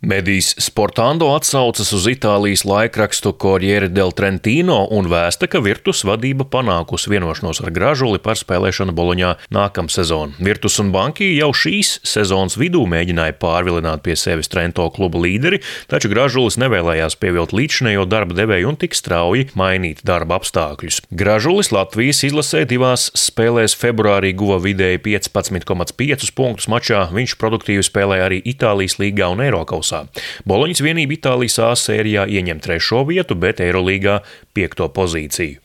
Medijs Sportando atsaucas uz Itālijas laikrakstu Corriere del Trentino un vēsta, ka Virtus vadība panākusi vienošanos ar Gražuli par spēlēšanu Boloņā nākamsezon. Virtus un Banki jau šīs sezonas vidū mēģināja pārvilināt pie sevis Trento kluba līderi, taču Gražulis nevēlējās pievilkt līdzinējo darba devēju un tik strauji mainīt darba apstākļus. Gražulis Latvijas izlasē divās spēlēs februārī guva vidēji 15,5 punktus mačā, viņš produktīvi spēlēja arī Itālijas līgā un Eirokausā. Boloņas vienība Itālijas A sērijā ieņem 3. vietu, bet Eirolīgā 5. pozīciju.